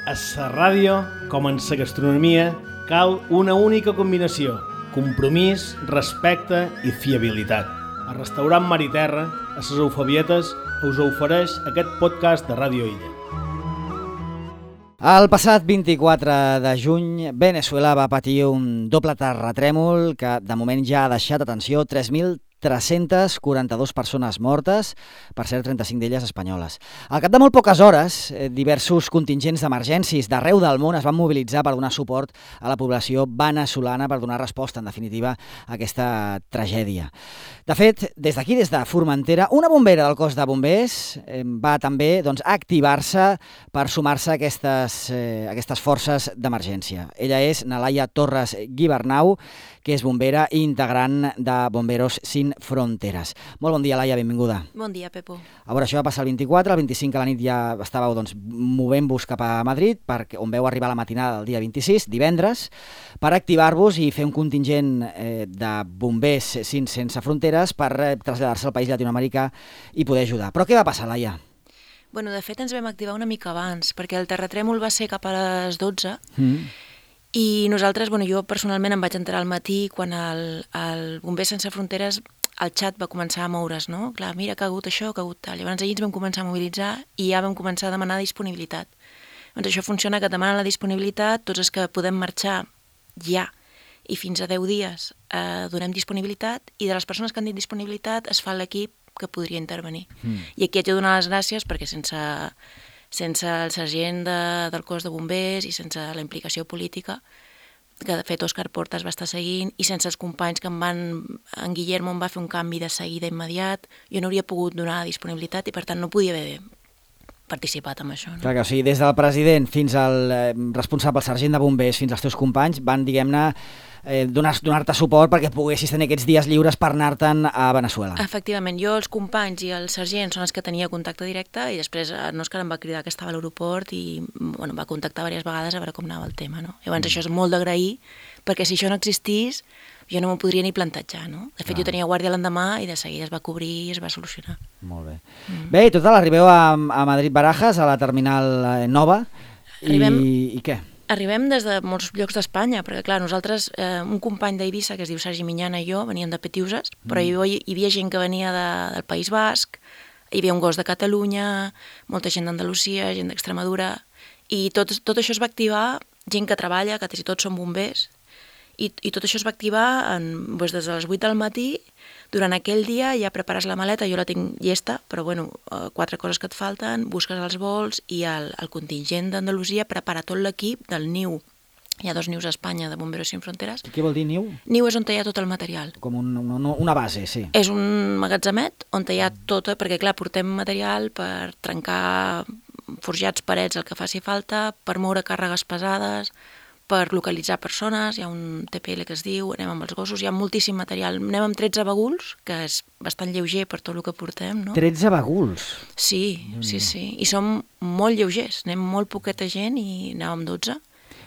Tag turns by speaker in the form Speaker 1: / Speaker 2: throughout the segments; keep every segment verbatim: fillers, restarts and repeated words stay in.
Speaker 1: A la ràdio, com en la gastronomia, cal una única combinació: compromís, respecte i fiabilitat. El restaurant Mar i Terra, a les Eufabietes, us ofereix aquest podcast de Ràdio Illa.
Speaker 2: El passat vint-i-quatre de juny, Veneçuela va patir un doble terratrèmol que de moment ja ha deixat, atenció, tres mil tres-centes quaranta-dues persones mortes, per cert, trenta-cinc d'elles espanyoles. Al cap de molt poques hores, diversos contingents d'emergències d'arreu del món es van mobilitzar per donar suport a la població veneçolana, per donar resposta, en definitiva, a aquesta tragèdia. De fet, des d'aquí, des de Formentera, una bombera del cos de bombers va també doncs, activar-se per sumar-se a aquestes, eh, aquestes forces d'emergència. Ella és Nalaia Torres Guibernau, que és bombera i integrant de Bomberos Sin Fronteres. Molt bon dia, Laia, benvinguda.
Speaker 3: Bon dia, Pepo.
Speaker 2: A veure, això va passar el vint-i-quatre, el vint-i-cinc a la nit ja estàveu doncs, movent-vos cap a Madrid, perquè, on veu arribar la matinada del dia vint-i-sis, divendres, per activar-vos i fer un contingent eh, de bombers sin, sense fronteres per eh, traslladar-se al país llatinoamericà i poder ajudar. Però què va passar, Laia?
Speaker 3: Bueno, de fet, ens vam activar una mica abans, perquè el terratrèmol va ser cap a les dotze, mm. i nosaltres, bueno, jo personalment em vaig enterar al matí quan el, el Bombers Sense Fronteres, el xat va començar a moure's, no? Clar, mira, que ha hagut això, que ha hagut tal. Llavors ahir ens vam començar a mobilitzar i ja vam començar a demanar disponibilitat. Doncs això funciona, que et demanen la disponibilitat, tots els que podem marxar ja i fins a deu dies eh, donem disponibilitat, i de les persones que han dit disponibilitat es fa l'equip que podria intervenir. Mm. I aquí haig de donar les gràcies perquè sense... sense el sergent de, del cos de bombers i sense la implicació política, que de fet Òscar Portas va estar seguint, i sense els companys que em van... En Guillermo em va fer un canvi de seguida immediat, jo no hauria pogut donar disponibilitat i per tant no podia haver participat en això. No?
Speaker 2: Clar que o sigui, des del president fins al eh, responsable, el sergent de bombers, fins als teus companys, van, diguem-ne, eh, donar, donar-te suport perquè poguessis tenir aquests dies lliures per anar-te'n a Veneçuela.
Speaker 3: Efectivament, jo, els companys i el sergent són els que tenia contacte directe, i després en Òscar em va cridar que estava a l'aeroport i bueno, em va contactar diverses vegades a veure com anava el tema. No? Llavors mm. això és molt d'agrair, perquè si això no existís jo no m'ho podria ni plantejar, no? De fet, ah. jo tenia guàrdia l'endemà i de seguida es va cobrir i es va solucionar.
Speaker 2: Molt bé. Mm. Bé, i total, arribeu a, a Madrid-Barajas, a la terminal eh, nova,
Speaker 3: arribem,
Speaker 2: i, i què?
Speaker 3: Arribem des de molts llocs d'Espanya, perquè clar, nosaltres, eh, un company d'Eivissa, que es diu Sergi Minyana, i jo, veníem de Petiuses, però mm. hi, hi havia gent que venia de, del País Basc, hi havia un gos de Catalunya, molta gent d'Andalusia, gent d'Extremadura, i tot, tot això es va activar, gent que treballa, que quasi tots són bombers, I, i tot això es va activar en, doncs des de les vuit del matí. Durant aquell dia ja prepares la maleta, jo la tinc llesta, però bueno, quatre coses que et falten, busques els vols, i el, el contingent d'Andalusia prepara tot l'equip del niu. Hi ha dos nius a Espanya de Bomberos Sin Fronteres.
Speaker 2: Què vol dir niu?
Speaker 3: Niu és on hi ha tot el material.
Speaker 2: Com un, un, una base, sí.
Speaker 3: És un magatzemet on hi ha tot, perquè clar, portem material per trencar forjats, parets, el que faci falta, per moure càrregues pesades, per localitzar persones, hi ha un T P L que es diu, anem amb els gossos, hi ha moltíssim material. Anem amb tretze baguls, que és bastant lleuger per tot el que portem, no?
Speaker 2: tretze baguls?
Speaker 3: Sí, sí, sí. I som molt lleugers, anem molt poqueta gent i anàvem dotze.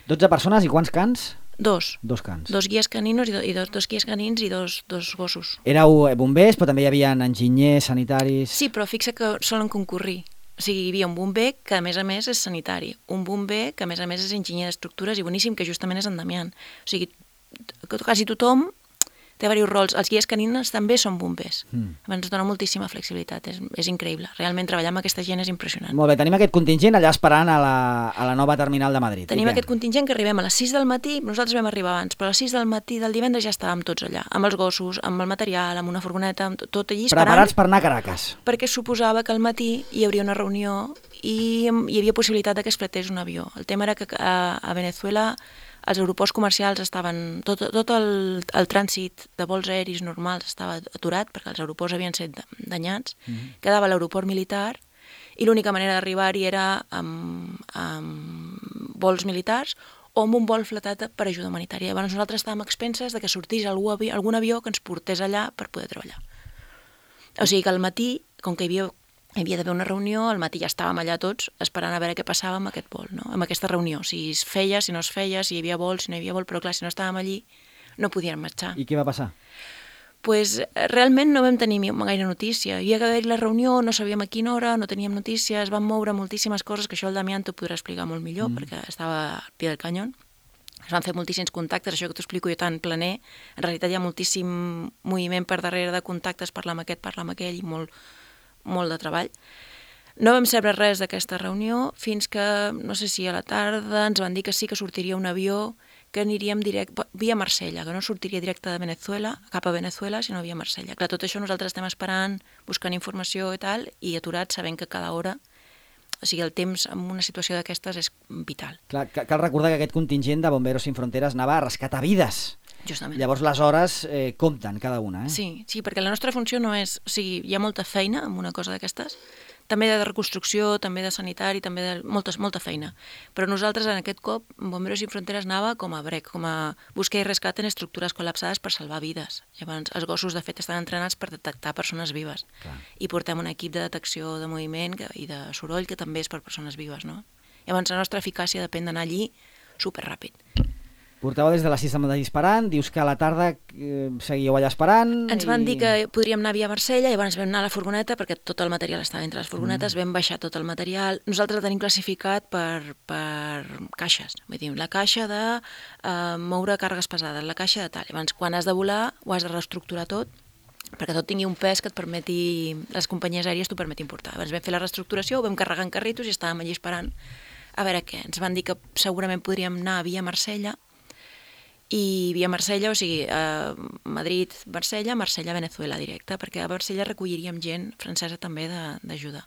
Speaker 2: dotze persones i quants cans?
Speaker 3: Dos.
Speaker 2: Dos cans.
Speaker 3: Dos guies caninos i, do, i dos, dos guies canins i dos, dos gossos.
Speaker 2: Éreu bombers, però també hi havia enginyers, sanitaris...
Speaker 3: Sí, però fixa que solen concurrir. O sigui, hi havia un bomber que, a més a més, és sanitari. Un bomber que, a més a més, és enginyer d'estructures i boníssim, que justament és en Damián. O sigui, quasi tothom té diversos rols. Els guies canines també són bombers. Mm. Ens dona moltíssima flexibilitat. És, és increïble. Realment, treballar amb aquesta gent és impressionant.
Speaker 2: Molt bé, tenim aquest contingent allà esperant a la, a la nova terminal de Madrid.
Speaker 3: Tenim aquest contingent que arribem a les sis del matí, nosaltres vam arribar abans, però a les sis del matí del divendres ja estàvem tots allà, amb els gossos, amb el material, amb una furgoneta, amb tot allí esperant.
Speaker 2: Preparats per anar a Caracas.
Speaker 3: Perquè suposava que al matí hi hauria una reunió i hi havia possibilitat que es fretés un avió. El tema era que a, a Veneçuela els aeroports comercials estaven... Tot, tot el, el trànsit de vols aeris normals estava aturat perquè els aeroports havien estat danyats. Mm-hmm. Quedava l'aeroport militar i l'única manera d'arribar-hi era amb, amb vols militars o amb un vol fletat per ajuda humanitària. Llavors nosaltres estàvem expenses de que sortís algun avió, algun avió que ens portés allà per poder treballar. O sigui que al matí, com que hi havia... Hi havia d'haver una reunió, al matí ja estàvem allà tots esperant a veure què passava amb aquest vol, no? Amb aquesta reunió, si es feia, si no es feia, si hi havia vol, si no hi havia vol, però clar, si no estàvem allí no podíem marxar.
Speaker 2: I què va passar?
Speaker 3: pues, realment no vam tenir gaire notícia. Hi havia d'haver la reunió, no sabíem a quina hora, no teníem notícies, van moure moltíssimes coses, que això el Damián t'ho podrà explicar molt millor, mm. perquè estava al pie del canyón. Es van fer moltíssims contactes, això que t'ho explico jo tan planer. En realitat hi ha moltíssim moviment per darrere de contactes, parlar amb aquest, parlar amb aquell, i molt, molt de treball. No vam saber res d'aquesta reunió fins que, no sé si a la tarda, ens van dir que sí que sortiria un avió, que aniríem direct, via Marsella, que no sortiria directe de Venezuela, cap a Venezuela, sinó via Marsella. Clar, tot això nosaltres estem esperant, buscant informació i tal, i aturats, sabent que cada hora, o sigui, el temps en una situació d'aquestes és vital.
Speaker 2: Clar, cal recordar que aquest contingent de Bomberos Sin Fronteres anava a rescatar vides.
Speaker 3: Justament.
Speaker 2: Llavors les hores eh, compten cada una, eh?
Speaker 3: Sí, sí, perquè la nostra funció no és... O sigui, hi ha molta feina en una cosa d'aquestes, també de reconstrucció, també de sanitari, també de moltes, molta feina. Però nosaltres en aquest cop, Bomberos Sin Fronteres anava com a brec, com a buscar i rescat en estructures col·lapsades per salvar vides. Llavors, els gossos, de fet, estan entrenats per detectar persones vives. Clar. I portem un equip de detecció de moviment que, i de soroll que també és per persones vives, no? Llavors, la nostra eficàcia depèn d'anar allí superràpid.
Speaker 2: Porteu des de les sis del matí disparant, dius que a la tarda eh, seguíeu allà esperant...
Speaker 3: Ens van i... dir que podríem anar via Marsella, llavors vam anar a la furgoneta, perquè tot el material estava entre les furgonetes, mm. vam baixar tot el material. Nosaltres el tenim classificat per, per caixes, vull dir, la caixa de eh, moure càrregues pesades, la caixa de tal. Llavors, quan has de volar, ho has de reestructurar tot, perquè tot tingui un pes que et permeti, les companyies aèries t'ho permetin portar. Llavors vam fer la reestructuració, ho vam carregar en carritos i estàvem allí esperant a veure què. Ens van dir que segurament podríem anar via Marsella, i via Marsella, o sigui, a Madrid, Marsella, Marsella, Venezuela directe, perquè a Marsella recolliríem gent francesa també d'ajuda.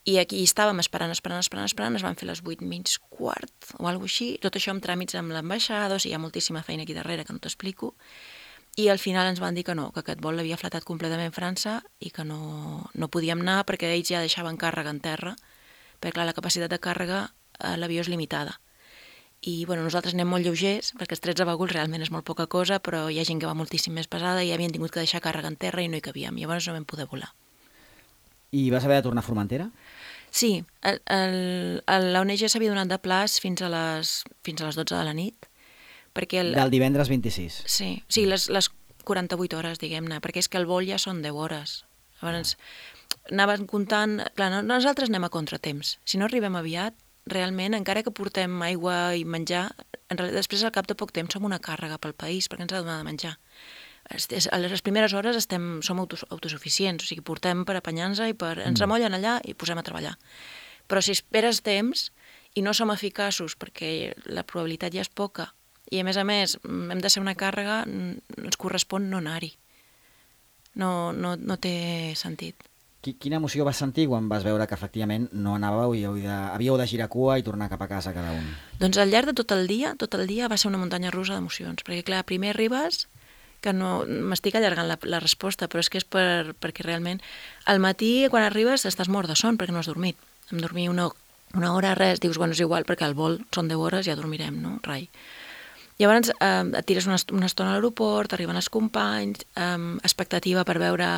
Speaker 3: I aquí estàvem esperant, esperant, esperant, esperant, es van fer les vuit menys quart o alguna cosa així, tot això amb tràmits amb l'ambaixada, o sigui, hi ha moltíssima feina aquí darrere que no t'explico, i al final ens van dir que no, que aquest vol l'havia flatat completament França i que no, no podíem anar perquè ells ja deixaven càrrega en terra, perquè clar, la capacitat de càrrega a l'avió és limitada. I bueno, nosaltres anem molt lleugers, perquè els tretze vàgols realment és molt poca cosa, però hi ha gent que va moltíssim més pesada i havien tingut que deixar càrrega en terra i no hi cabíem, i llavors no vam poder volar.
Speaker 2: I vas haver de tornar a Formentera?
Speaker 3: Sí, el, el, l'O N G s'havia donat de plaç fins a les, fins a les dotze de la nit. Perquè el,
Speaker 2: Del divendres vint-i-sis?
Speaker 3: Sí, sí les, les quaranta-vuit hores, diguem-ne, perquè és que el vol ja són deu hores. Llavors, anaven comptant... Clar, nosaltres anem a contratemps. Si no arribem aviat, realment, encara que portem aigua i menjar, en realitat, després al cap de poc temps som una càrrega pel país, perquè ens ha de donar de menjar. A les primeres hores estem, som autosuficients, o sigui, portem per apanyar-nos i per, ens remollen allà i posem a treballar. Però si esperes temps i no som eficaços perquè la probabilitat ja és poca, i a més a més hem de ser una càrrega, ens correspon no anar-hi. No, no, no té sentit.
Speaker 2: Quina emoció vas sentir quan vas veure que efectivament no anàveu i havíeu de girar cua i tornar cap a casa cada un?
Speaker 3: Doncs al llarg de tot el dia, tot el dia va ser una muntanya russa d'emocions, perquè clar, primer arribes, que no m'estic allargant la, la resposta, però és que és per, perquè realment al matí quan arribes estàs mort de son perquè no has dormit. Em dormir una, una hora, res, dius, bueno, és igual perquè al vol són deu hores, ja dormirem, no? Rai. Llavors eh, et tires una, una estona a l'aeroport, arriben els companys, eh, expectativa per veure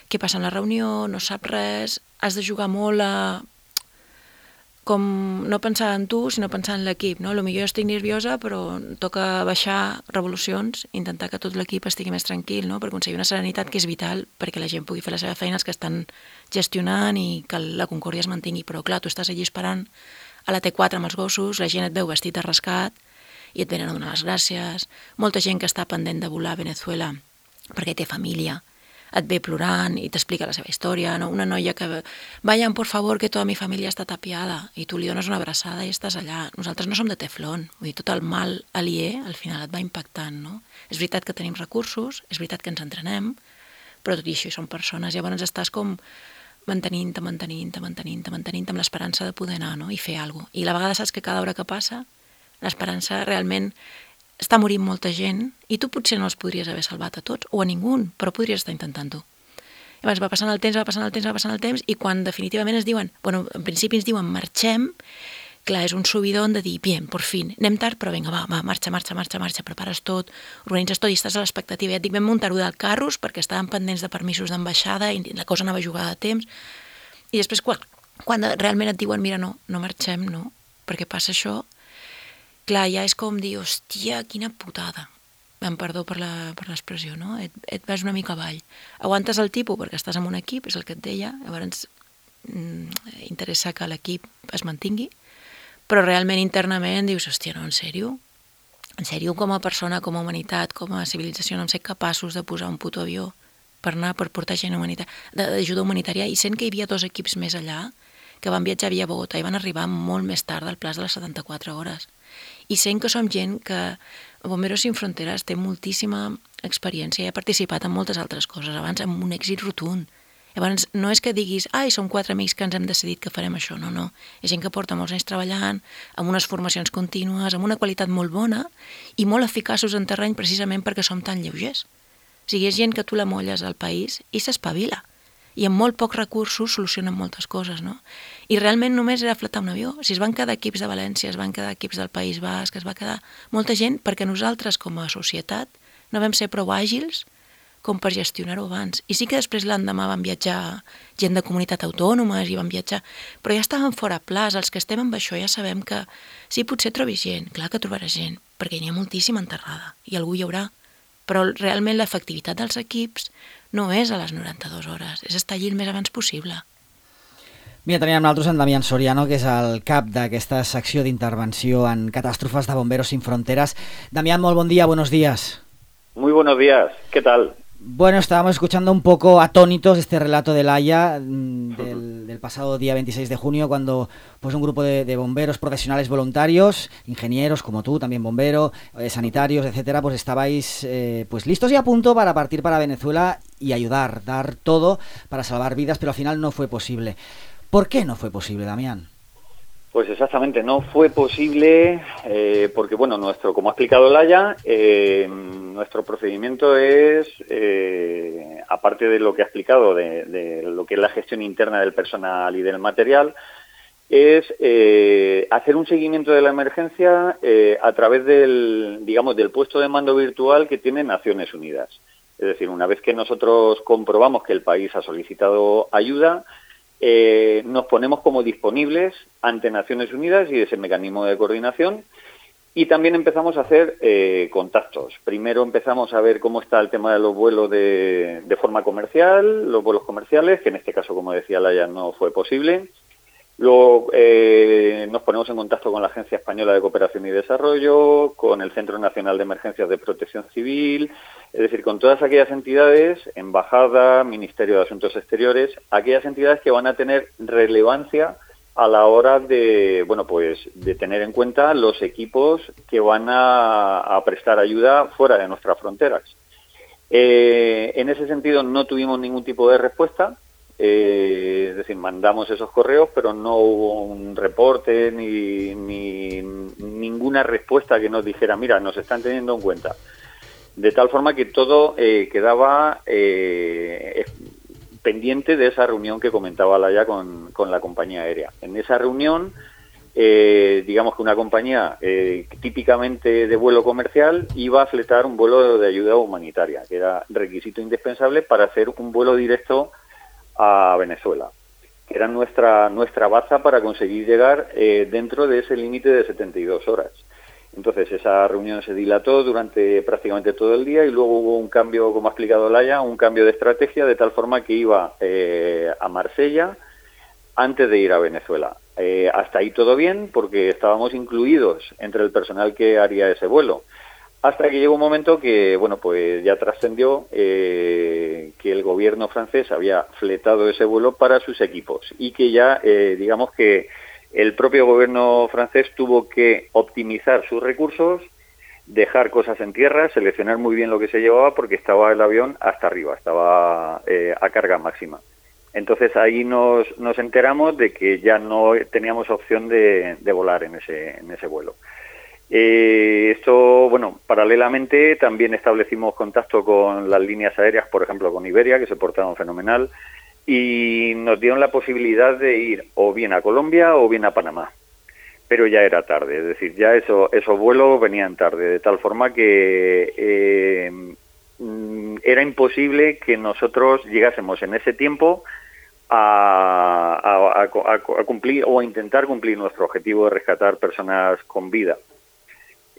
Speaker 3: què passa en la reunió, no saps res, has de jugar molt a... com no pensar en tu, sinó pensar en l'equip, no? Potser jo estic nerviosa, però toca baixar revolucions, intentar que tot l'equip estigui més tranquil, no? Per aconseguir una serenitat que és vital perquè la gent pugui fer la seva feina, els que estan gestionant i que la concòrdia es mantingui. Però clar, tu estàs allí esperant a la T quatre amb els gossos, la gent et veu vestit de rescat i et venen a donar les gràcies. Molta gent que està pendent de volar a Venezuela perquè té família, et ve plorant i t'explica la seva història, no? Una noia que vayan por favor que tota mi família està tapiada i tu li dones una abraçada i estàs allà. Nosaltres no som de teflon, vull dir, tot el mal aliè al final et va impactant, no? És veritat que tenim recursos, és veritat que ens entrenem, però tot i això som persones, llavors estàs com mantenint-te, mantenint-te, mantenint-te, mantenint-te amb l'esperança de poder anar, no? I fer alguna cosa. I a la vegada saps que cada hora que passa, l'esperança realment està morint molta gent i tu potser no els podries haver salvat a tots o a ningú, però podries estar intentant-ho. Llavors va passant el temps, va passant el temps, va passant el temps i quan definitivament ens diuen, bueno, en principi ens diuen marxem, clar, és un subidon de dir, bien, por fin, anem tard, però vinga, va, va, marxa, marxa, marxa, marxa, prepares tot, organitzes tot i estàs a l'expectativa. Ja et dic, vam muntar-ho del carros perquè estàvem pendents de permisos d'ambaixada i la cosa anava jugada a temps. I després, quan, quan realment et diuen, mira, no, no marxem, no, perquè passa això, clar, ja és com dir, hòstia, quina putada. amb perdó per la, per l'expressió, no? Et, et vas una mica avall. Aguantes el tipus perquè estàs en un equip, és el que et deia, llavors mm, interessa que l'equip es mantingui, però realment internament dius, hòstia, no, en sèrio? En sèrio, com a persona, com a humanitat, com a civilització, no hem set capaços de posar un puto avió per anar, per portar gent d'ajuda humanitària, i sent que hi havia dos equips més allà, que van viatjar via Bogotà i van arribar molt més tard del plaç de les setanta-quatre hores. I sent que som gent que Bomberos Sin Fronteres té moltíssima experiència i ha participat en moltes altres coses, abans amb un èxit rotund. Llavors, no és que diguis, ai, som quatre amics que ens hem decidit que farem això, no, no. És gent que porta molts anys treballant, amb unes formacions contínues, amb una qualitat molt bona i molt eficaços en terreny precisament perquè som tan lleugers. O sigui, és gent que tu la molles al país i s'espavila. I amb molt pocs recursos solucionen moltes coses, no? I realment només era fletar un avió. Si es van quedar equips de València, es van quedar equips del País Basc, es va quedar molta gent perquè nosaltres com a societat no vam ser prou àgils com per gestionar-ho abans. I sí que després l'endemà van viatjar gent de comunitat autònomes i van viatjar, però ja estaven fora plaç. Els que estem amb això ja sabem que sí, potser trobis gent, clar que trobaràs gent, perquè n'hi ha moltíssima enterrada i algú hi haurà, però realment l'efectivitat dels equips no és a les noranta-dues hores, és estar allí el més abans possible.
Speaker 2: Mira, teníem nosaltres en Damián Soriano, que és el cap d'aquesta secció d'intervenció en catàstrofes de Bomberos Sin Fronteras. Damián, molt bon dia, buenos días.
Speaker 4: Muy buenos días, ¿qué tal?
Speaker 2: Bueno, estábamos escuchando un poco atónitos este relato de Laia del, del pasado día veintiséis de junio, cuando pues un grupo de, de bomberos profesionales voluntarios, ingenieros como tú, también bombero, eh, sanitarios, etcétera, pues estabais eh, pues listos y a punto para partir para Venezuela y ayudar, dar todo para salvar vidas, pero al final no fue posible. ¿Por qué no fue posible, Damián?
Speaker 4: Pues exactamente, no fue posible eh, porque, bueno, nuestro, como ha explicado Laia, eh, nuestro procedimiento es, eh, aparte de lo que ha explicado, de, de lo que es la gestión interna del personal y del material, es eh, hacer un seguimiento de la emergencia eh, a través del, digamos, del puesto de mando virtual que tiene Naciones Unidas. Es decir, una vez que nosotros comprobamos que el país ha solicitado ayuda, Eh, nos ponemos como disponibles ante Naciones Unidas y ese mecanismo de coordinación, y también empezamos a hacer eh, contactos. Primero empezamos a ver cómo está el tema de los vuelos de, de forma comercial, los vuelos comerciales, que en este caso, como decía Laia, no fue posible. Luego eh, nos ponemos en contacto con la Agencia Española de Cooperación y Desarrollo, con el Centro Nacional de Emergencias de Protección Civil, es decir, con todas aquellas entidades, Embajada, Ministerio de Asuntos Exteriores, aquellas entidades que van a tener relevancia a la hora de, bueno, pues, de tener en cuenta los equipos que van a, a prestar ayuda fuera de nuestras fronteras. Eh, en ese sentido no tuvimos ningún tipo de respuesta. Eh, es decir, mandamos esos correos, pero no hubo un reporte ni, ni ninguna respuesta que nos dijera, mira, nos están teniendo en cuenta. De tal forma que todo eh, quedaba eh, pendiente de esa reunión que comentaba Laia con, con la compañía aérea. En esa reunión, eh, digamos que una compañía eh, típicamente de vuelo comercial iba a fletar un vuelo de ayuda humanitaria, que era requisito indispensable para hacer un vuelo directo a Venezuela, que era nuestra nuestra baza para conseguir llegar eh, dentro de ese límite de setenta y dos horas. Entonces esa reunión se dilató durante prácticamente todo el día y luego hubo un cambio, como ha explicado Laia, un cambio de estrategia de tal forma que iba eh, a Marsella antes de ir a Venezuela. Eh, hasta ahí todo bien porque estábamos incluidos entre el personal que haría ese vuelo. Hasta que llegó un momento que, bueno, pues ya trascendió eh, que el gobierno francés había fletado ese vuelo para sus equipos y que ya, eh, digamos que el propio gobierno francés tuvo que optimizar sus recursos, dejar cosas en tierra, seleccionar muy bien lo que se llevaba porque estaba el avión hasta arriba, estaba eh, a carga máxima. Entonces ahí nos, nos enteramos de que ya no teníamos opción de, de volar en ese, en ese vuelo. Eh, esto, bueno, paralelamente también establecimos contacto con las líneas aéreas, por ejemplo con Iberia, que se portaron fenomenal, y nos dieron la posibilidad de ir o bien a Colombia o bien a Panamá, pero ya era tarde, es decir, ya eso, esos vuelos venían tarde, de tal forma que eh, era imposible que nosotros llegásemos en ese tiempo a, a, a, a cumplir o a intentar cumplir nuestro objetivo de rescatar personas con vida.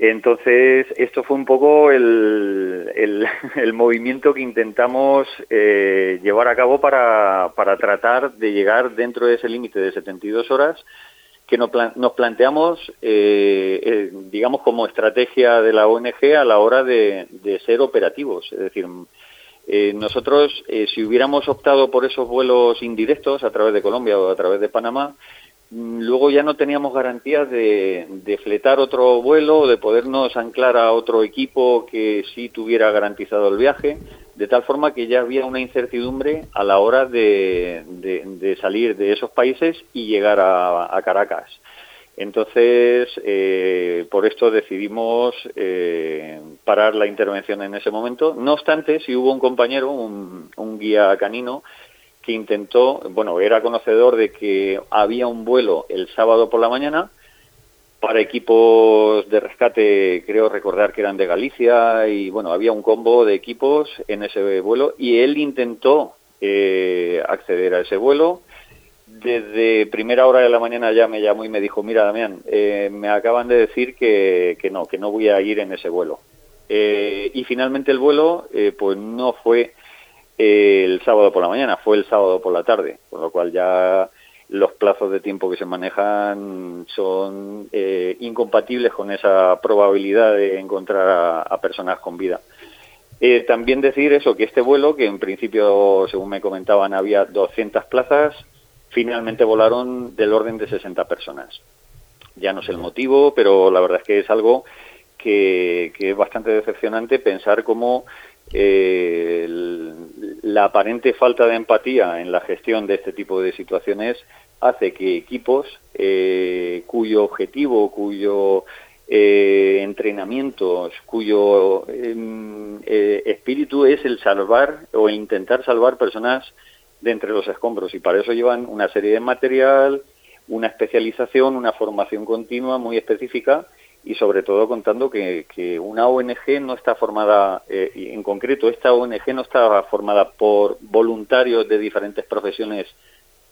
Speaker 4: Entonces, esto fue un poco el, el, el movimiento que intentamos eh, llevar a cabo para, para tratar de llegar dentro de ese límite de setenta y dos horas que nos, plan, nos planteamos, eh, eh, digamos, como estrategia de la O N G a la hora de, de ser operativos. Es decir, eh, nosotros, eh, si hubiéramos optado por esos vuelos indirectos a través de Colombia o a través de Panamá, luego ya no teníamos garantías de, de fletar otro vuelo o de podernos anclar a otro equipo que sí tuviera garantizado el viaje, de tal forma que ya había una incertidumbre a la hora de, de, de salir de esos países y llegar a, a Caracas. Entonces, eh, por esto decidimos eh, parar la intervención en ese momento. No obstante, sí hubo un compañero, un, un guía canino, que intentó, bueno, era conocedor de que había un vuelo el sábado por la mañana para equipos de rescate, creo recordar que eran de Galicia, y bueno, había un combo de equipos en ese vuelo, y él intentó eh, acceder a ese vuelo. Desde primera hora de la mañana ya me llamó y me dijo, mira, Damián, eh, me acaban de decir que, que no, que no voy a ir en ese vuelo. Eh, y finalmente el vuelo, eh, pues no fue el sábado por la mañana, fue el sábado por la tarde, con lo cual ya los plazos de tiempo que se manejan son eh, incompatibles con esa probabilidad de encontrar a, a personas con vida. Eh, también decir eso, que este vuelo, que en principio, según me comentaban, había doscientas plazas, finalmente volaron del orden de sesenta personas. Ya no sé el motivo, pero la verdad es que es algo que, que es bastante decepcionante pensar cómo Eh, el, la aparente falta de empatía en la gestión de este tipo de situaciones hace que equipos eh, cuyo objetivo, cuyo eh, entrenamiento, cuyo eh, eh, espíritu es el salvar o el intentar salvar personas de entre los escombros, y para eso llevan una serie de material, una especialización, una formación continua muy específica, y sobre todo contando que, que una O N G no está formada, eh, y en concreto esta O N G no está formada por voluntarios de diferentes profesiones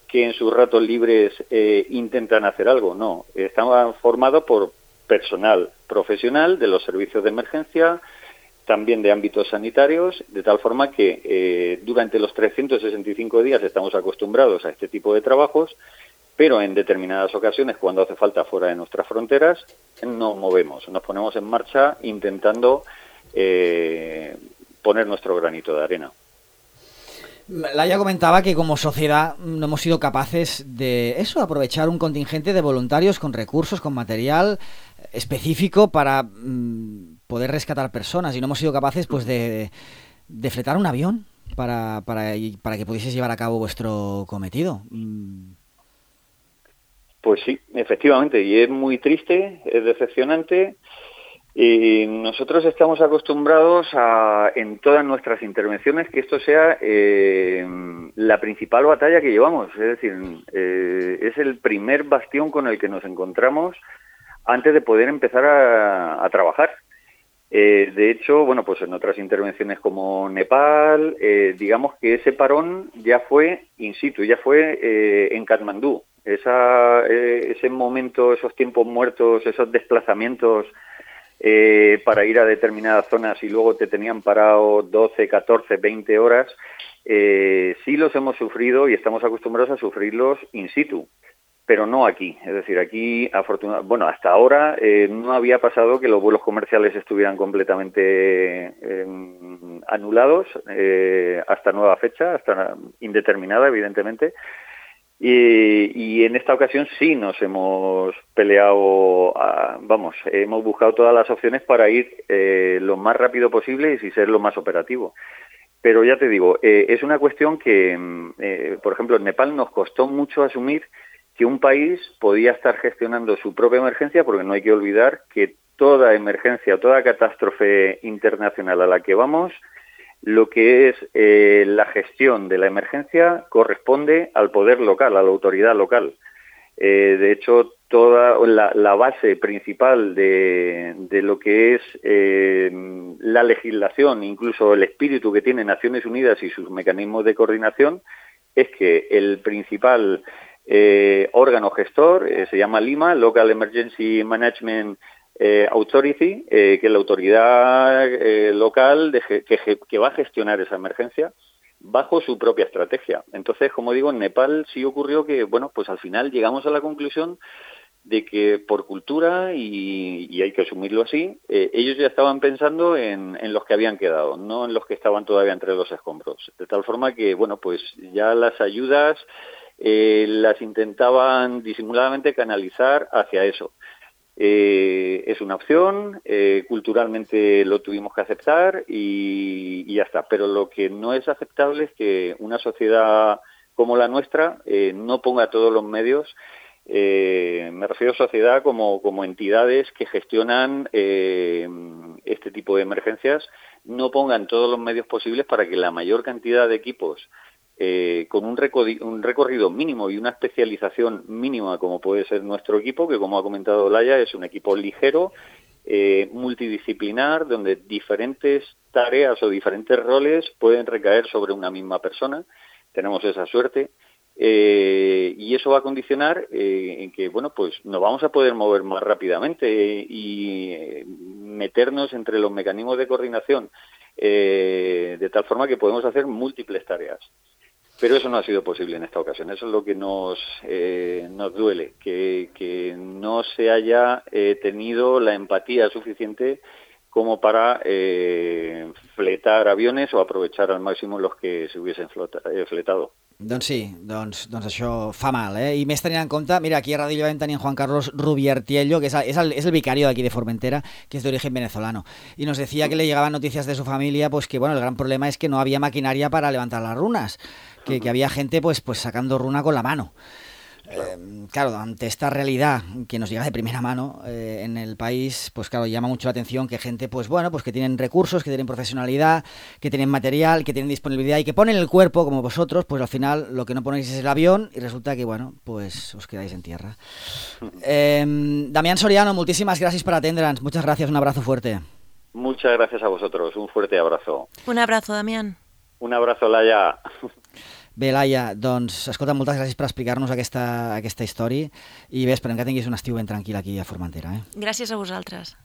Speaker 4: que en sus ratos libres eh, intentan hacer algo, no, está formada por personal profesional de los servicios de emergencia, también de ámbitos sanitarios, de tal forma que eh, durante los trescientos sesenta y cinco días estamos acostumbrados a este tipo de trabajos, pero en determinadas ocasiones, cuando hace falta fuera de nuestras fronteras, nos movemos, nos ponemos en marcha intentando eh, poner nuestro granito de arena.
Speaker 2: Laia comentaba que como sociedad no hemos sido capaces de eso, aprovechar un contingente de voluntarios con recursos, con material específico para mmm, poder rescatar personas, y no hemos sido capaces pues de, de fletar un avión para, para, para que pudieseis llevar a cabo vuestro cometido. Mm.
Speaker 4: Pues sí, efectivamente, y es muy triste, es decepcionante. Y nosotros estamos acostumbrados a, en todas nuestras intervenciones, que esto sea eh, la principal batalla que llevamos. Es decir, eh, es el primer bastión con el que nos encontramos antes de poder empezar a, a trabajar. Eh, de hecho, bueno, pues en otras intervenciones como Nepal, eh, digamos que ese parón ya fue in situ, ya fue eh, en Katmandú. Esa, eh, ese momento, esos tiempos muertos, esos desplazamientos eh, para ir a determinadas zonas y luego te tenían parado doce, catorce, veinte horas, eh, sí los hemos sufrido y estamos acostumbrados a sufrirlos in situ, pero no aquí. Es decir, aquí, afortunadamente, bueno, hasta ahora eh, no había pasado que los vuelos comerciales estuvieran completamente eh, anulados eh, hasta nueva fecha, hasta indeterminada, evidentemente. Y, y en esta ocasión sí nos hemos peleado, a, vamos, hemos buscado todas las opciones para ir eh, lo más rápido posible y ser lo más operativo. Pero ya te digo, eh, es una cuestión que, eh, por ejemplo, en Nepal nos costó mucho asumir que un país podía estar gestionando su propia emergencia, porque no hay que olvidar que toda emergencia, toda catástrofe internacional a la que vamos, lo que es eh, la gestión de la emergencia corresponde al poder local, a la autoridad local. Eh, de hecho, toda la, la base principal de, de lo que es eh, la legislación, incluso el espíritu que tiene Naciones Unidas y sus mecanismos de coordinación, es que el principal eh, órgano gestor eh, se llama LIMA, Local Emergency Management eh, Authority, eh, que es la autoridad eh, local de, que, que va a gestionar esa emergencia bajo su propia estrategia. Entonces, como digo, en Nepal sí ocurrió que, bueno, pues al final llegamos a la conclusión de que por cultura, y, y hay que asumirlo así, eh, ellos ya estaban pensando en, en los que habían quedado, no en los que estaban todavía entre los escombros. De tal forma que, bueno, pues ya las ayudas eh, las intentaban disimuladamente canalizar hacia eso. Eh, es una opción, eh, culturalmente lo tuvimos que aceptar y, y ya está. Pero lo que no es aceptable es que una sociedad como la nuestra eh, no ponga todos los medios. Eh, me refiero a sociedad como, como entidades que gestionan eh, este tipo de emergencias, no pongan todos los medios posibles para que la mayor cantidad de equipos eh, con un, recodi- un recorrido mínimo y una especialización mínima, como puede ser nuestro equipo, que como ha comentado Laia, es un equipo ligero, eh, multidisciplinar, donde diferentes tareas o diferentes roles pueden recaer sobre una misma persona. Tenemos esa suerte. Eh, y eso va a condicionar eh, en que, bueno, pues nos vamos a poder mover más rápidamente eh, y eh, meternos entre los mecanismos de coordinación eh, de tal forma que podemos hacer múltiples tareas. Pero eso no ha sido posible en esta ocasión. Eso es lo que nos, eh, nos duele, que, que no se haya eh, tenido la empatía suficiente como para eh, fletar aviones o aprovechar al máximo los que se hubiesen flota, eh, fletado.
Speaker 2: Doncs sí, doncs, doncs això fa mal, eh? I més tenint en compte, mira, aquí a Radio Llevant tenim Juan Carlos Rubiertiello, que es el, es el, es el vicario de aquí de Formentera, que es de origen venezolano, y nos decía que le llegaban noticias de su familia, pues que bueno, el gran problema es que no había maquinaria para levantar las runas, que, que había gente pues, pues sacando runa con la mano. Eh, claro, ante esta realidad que nos llega de primera mano eh, en el país, pues claro, llama mucho la atención que gente, pues bueno, pues que tienen recursos, que tienen profesionalidad, que tienen material, que tienen disponibilidad y que ponen el cuerpo, como vosotros, pues al final lo que no ponéis es el avión y resulta que, bueno, pues os quedáis en tierra. Eh, Damián Soriano, muchísimas gracias por atendre'ns. Muchas gracias, un abrazo fuerte.
Speaker 4: Muchas gracias a vosotros, un fuerte abrazo.
Speaker 3: Un abrazo, Damián.
Speaker 4: Un abrazo, Laia.
Speaker 2: Bé, Laia, doncs, escolta, moltes gràcies per explicar-nos aquesta, aquesta història i bé, esperem que tinguis un estiu ben tranquil aquí a Formentera. Eh?
Speaker 3: Gràcies a vosaltres.